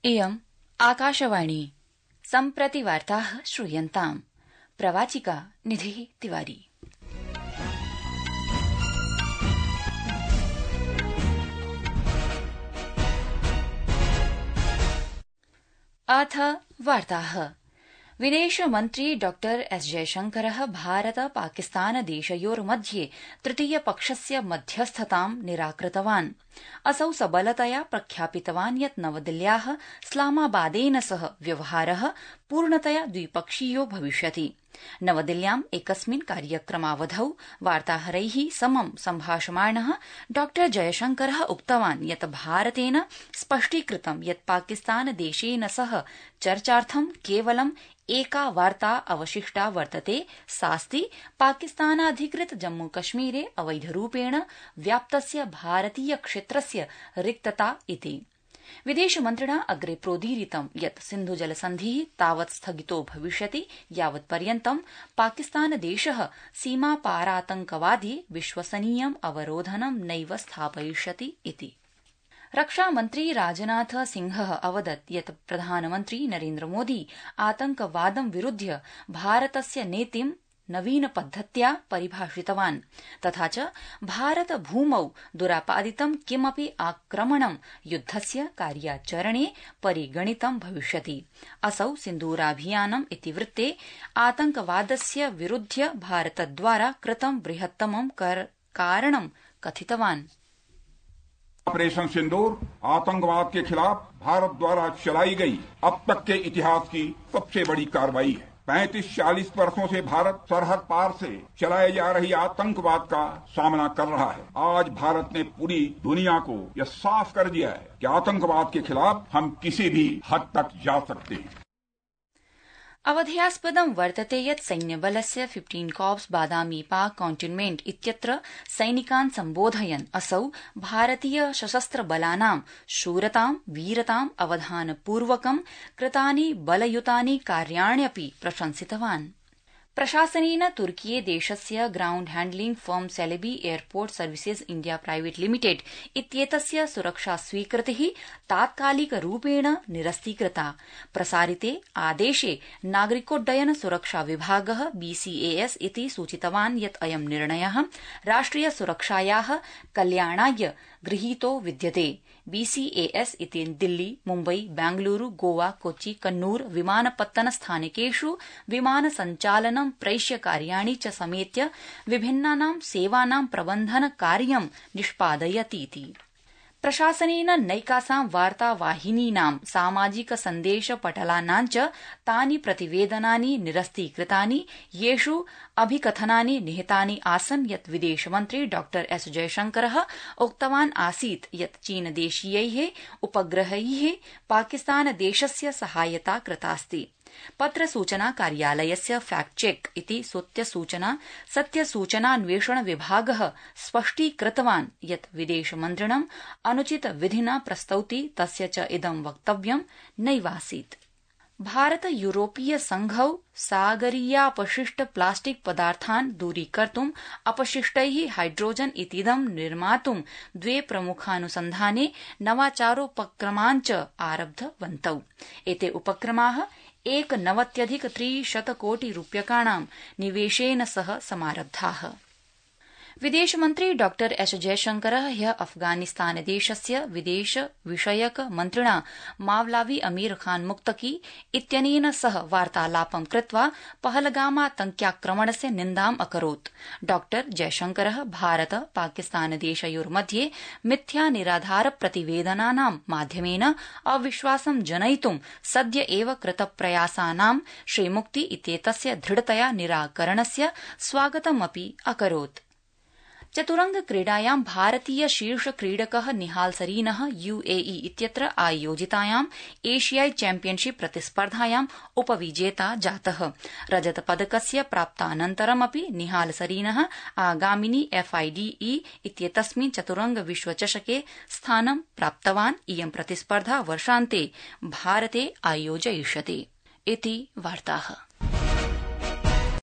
इयम् आकाशवाणी सम्प्रति वार्ताः श्रूयन्ताम्। प्रवाचिका निधिः तिवारी। अथ वार्ताः। विदेशमन्त्री डॉ एस जयशंकरः भारत पाकिस्तान देशयोर्मध्ये तृतीयपक्षस्य मध्यस्थतां निराकृतवान्। असौ सबलतया प्रख्यापितवान् यत् नवदिल्ल्याः इस्लामाबादेन सह व्यवहारः पूर्णतया द्विपक्षीयो भविष्यति। नवदिल्ल्याम् एकस्मिन् कार्यक्रमावधौ वार्ताहरैः समं सम्भाषमाणः डॉ जयशंकरः उक्तवान् यत् भारतेन स्पष्टीकृतं यत् पाकिस्तान देशेन सह चर्चार्थं केवलं एका वार्ता अवशिष्टा वर्तते, सास्ति पाकिस्तानाधिकृत जम्मूकश्मीरे अवैधरूपेण व्याप्तस्य भारतीय क्षेत्रस्य रिक्तता इति। विदेशमन्त्रिणा अग्रे प्रोदीरितं यत् सिन्धुजलसन्धिः तावत् स्थगितो भविष्यति यावत्पर्यन्तं पाकिस्तानदेशः सीमापारातंकवादे विश्वसनीयम् अवरोधनं नैव स्थापयिष्यति इति। रक्षामन्त्री राजनाथ सिंहः अवदत् यत् प्रधानमन्त्री नरेन्द्रमोदी आतंकवादं विरुध्य भारतस्य नीतिं नवीनपद्धत्या परिभाषितवान्, तथा च भारत भूमौ दुरापादितं किमपि आक्रमणं युद्धस्य कार्याचरणे परिगणितं भविष्यति। असौ सिन्दूराभियानम् इतिवृत्ते आतंकवादस्य विरुध्य भारतद्वारा कृतं बृहत्तमं कारणं कथितवान्। ऑपरेशन सिंदूर आतंकवाद के खिलाफ भारत द्वारा चलाई गई अब तक के इतिहास की सबसे बड़ी कार्रवाई है। 35-40 वर्षों से भारत सरहद पार से चलाए जा रही आतंकवाद का सामना कर रहा है। आज भारत ने पूरी दुनिया को यह साफ कर दिया है कि आतंकवाद के खिलाफ हम किसी भी हद तक जा सकते हैं। अवधेयास्पदं वर्तते यत् सैन्यबलस्य 15 कॉर्प्स बादामी पाक कॉन्टिन्मेंट इत्यत्र सैनिकान् सम्बोधयन् असौ भारतीय सशस्त्र बलानां शूरतां वीरतां अवधानपूर्वकं कृतानि बलयुतानि कार्याण्यपि प्रशंसितवान्। प्रशासनेन तुर्कीये देशस्य ground handling firm Celebi airport services India private limited इत्येतस्य सुरक्षा स्वीकृतिः तात्कालिकरूपेण निरस्तीकृता। प्रसारिते आदेशे नागरिकोड्डयन सुरक्षा विभागः BCAS इति सूचितवान् यत् अयं निर्णयः राष्ट्रिय सुरक्षायाः कल्याणाय गृहीतो विद्यते। BCAS इति दिल्ली, मुम्बई, बेंगलुरू, गोवा, कोच्चि, कन्नूर विमानपत्तन स्थानकेषु विमान सञ्चालनं प्रैष्य कार्याणि च समेत्य विभिन्नानां सेवानां प्रबन्धन कार्यं निष्पादयतीति। प्रशासनेन नैकासां वार्तावाहिनीनां सामाजिक सन्देश पटलानां च तानि प्रतिवेदनानि निरस्तीकृतानि येषु अभिकथनानि निहितानि आसन् यत् विदेशमन्त्री डॉ एस जयशंकरः उक्तवान् आसीत् यत् चीनदेशीयैः उपग्रहैः पाकिस्तानदेशस्य सहायता कृतास्ति। पत्रसूचना कार्यालयस्य फैक्ट चेक इति सत्यसूचनान्वेषण विभागः स्पष्टीकृतवान् यत् विदेशमन्त्रिणं अनुचित विधिना प्रस्तौति तस्य च इदं वक्तव्यं नैवासीत्। भारत यूरोपीय संघौ सागरीयापशिष्ट प्लास्टिक पदार्थान् दूरीकर्तुम् अपशिष्टैः हाइड्रोजन इतीदं निर्मातुं द्वे प्रमुखानुसन्धाने नवाचारोपक्रमान् च आरब्धवन्तौ। एते उपक्रमाः 1,90,300 कोटि रूप्यकाणां निवेशेन सह समारब्धाः। विदेशमन्त्री डॉ एस जयशंकरः ह्यः अफगानिस्तानदेशस्य विदेश विषयक मन्त्रिणा मावलावी अमीर खान मुक्तकी इत्यनेन सह वार्तालापं कृत्वा पहलगामातंक्याक्रमणस्य निन्दाम् अकरोत्। डॉ जयशंकरः भारत पाकिस्तानदेशयोर्मध्ये मिथ्या निराधार प्रतिवेदनानां माध्यमेन अविश्वासं जनयितुं सद्य एव कृतप्रयासानां श्रीमुक्ति इत्येतस्य दृढतया निराकरणस्य स्वागतमपि अकरोत्। चतुरंग क्रीडायां भारतीय शीर्ष क्रीडकः निहाल सरीनः UAE इत्यत्र आयोजितायां एशियाई चैम्पियनशिप प्रतिस्पर्धायां उपविजेता जातः। रजतपदकस्य प्राप्तानन्तरमपि निहाल सरीनः आगामिनि FIDE इत्येतस्मिन् चतुरंग विश्वचषके स्थानं प्राप्तवान्। इयं प्रतिस्पर्धा वर्षान्ते भारते आयोजयिष्यते इति वार्ताः।